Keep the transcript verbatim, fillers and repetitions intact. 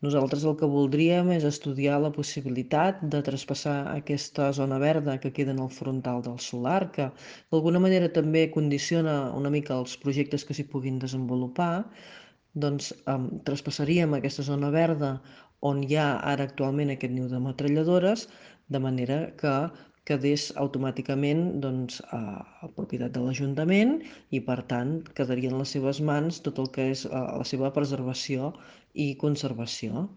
Nosaltres el que voldríem és estudiar la possibilitat de traspassar aquesta zona verda que queda en el frontal del solar, que d'alguna manera també condiciona una mica els projectes que s'hi puguin desenvolupar, doncs em, traspassaríem aquesta zona verda on hi ha ara actualment aquest niu de metralladores, de manera que quedés automàticament doncs, a, a propietat de l'Ajuntament i, per tant, quedaria en les seves mans tot el que és eh, la seva preservació i conservació.